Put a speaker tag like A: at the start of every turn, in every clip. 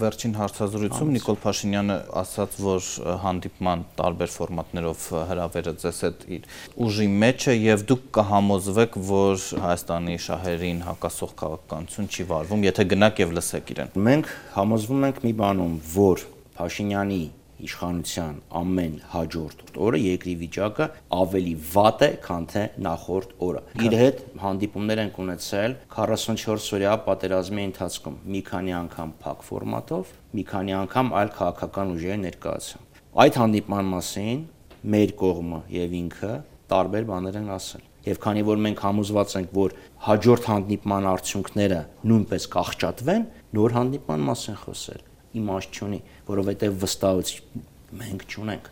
A: Վերջին հարցազրույցում Նիկոլ Փաշինյանը ասաց, որ հանդիպման տարբեր ֆորմատներով հրավերը ձեզ հետ իր ուժի մեջ է եւ դուք կհամոզվեք, որ Հայաստանի շահերին հակասող քաղաքականություն չի վարվում, եթե գնաք եւ լսեք իրեն։
B: Մենք համոզվում ենք մի բանում, որ Փաշինյանի իշխանության ամեն հաջորդ օրը երկրի վիճակը ավելի վատ է, քան թե նախորդ օրը։ Իր հետ հանդիպումներ ենք ունեցել 44-օրյա պատերազմի ընթացքում, մի քանի անգամ փակ ֆորմատով, մի քանի անգամ այլ քաղաքական ուժերի ներկայացում։ Այդ հանդիպման մասին մեր կողմը եւ ինքը տարբեր բաներ են ասել։ Եվ քանի որ մենք համոզված ենք, որ հաջորդ հանդիպման արդյունքները նույնպես կաղճատվեն, նոր հանդիպման մասին խոսել իմաստ չունի, որովհետև վստահություն մենք չունենք։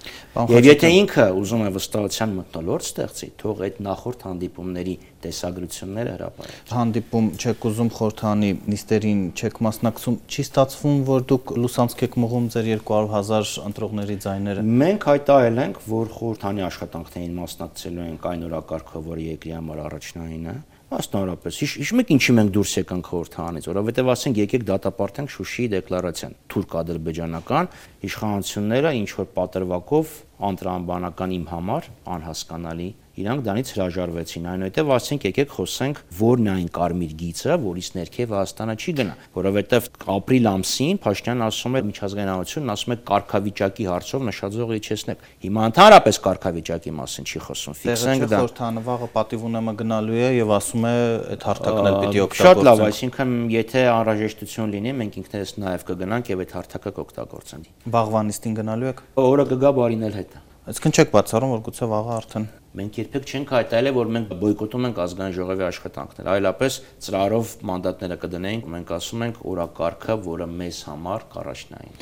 B: Եվ եթե ինքը ուզում է վստահության մթնոլորտ ստեղծի, թող այդ նախորդ հանդիպումների տեսագրությունները հրապարակի։
A: Հանդիպում չեք ուզում խորհրդանի նիստերին չեք մասնակցում, չի ստացվում, որ դուք լուսանցք եք մղում ձեր 200,000 ընտրողների ձայները։
B: Մենք հայտարարել ենք, որ խորհրդանի աշխատանքներին մասնակցելու ենք այն օրակարգով, որը երկրի համար առաջնային է։ Մասնավորապես, հիշում եք ինչի մենք դուրս եկանք խորհրդանից, որովհետև ասենք եկեք դատապարտենք Շուշիի դեկլարացիան, թուրք-ադրբեջանական իշխանությունները ինչ որ պատրվակով անտրամաբանական իմ համար անհասկանալի իրանք դրանից հրաժարվեցին, այնուհետև ասենք եկեք խոսենք որն է այն կարմիր գիծը, որից ներքև Հայաստանը չի գնա, որովհետև ապրիլ ամսին Փաշինյանն ասում է միջազգայնությունն ասում է կարգավիճակի հարցով նշաձող իջեցնեք։ Հիմա ընդհանրապես կարգավիճակի մասին չի խոսում, ֆիքսենք դա։
A: Խորհրդանը վաղը պատիվ ունեմը գնալու է եւ ասում է այդ հարթակն էլ պիտի օգտագործենք։
B: Շատ լավ, այսինքն եթե անհրաժեշտություն լինի, մենք ինքներս նաեւ կգնանք եւ այդ հարթակը կօգտագործենք։
A: Վաղվա նիստին գնալու եք։
B: Օրը կգա բարին էլ հետ։
A: Այսինքն չեք բացառում, որ գուցե վաղը արդեն
B: մենք երբեք չենք հայտարարել, որ մենք բոյկոտում ենք ազգային ժողովի աշխատանքները, այլապես ծրարով մանդատները կդնենք, մենք ասում ենք օրակարգը, որը մեզ համար կառաջնային։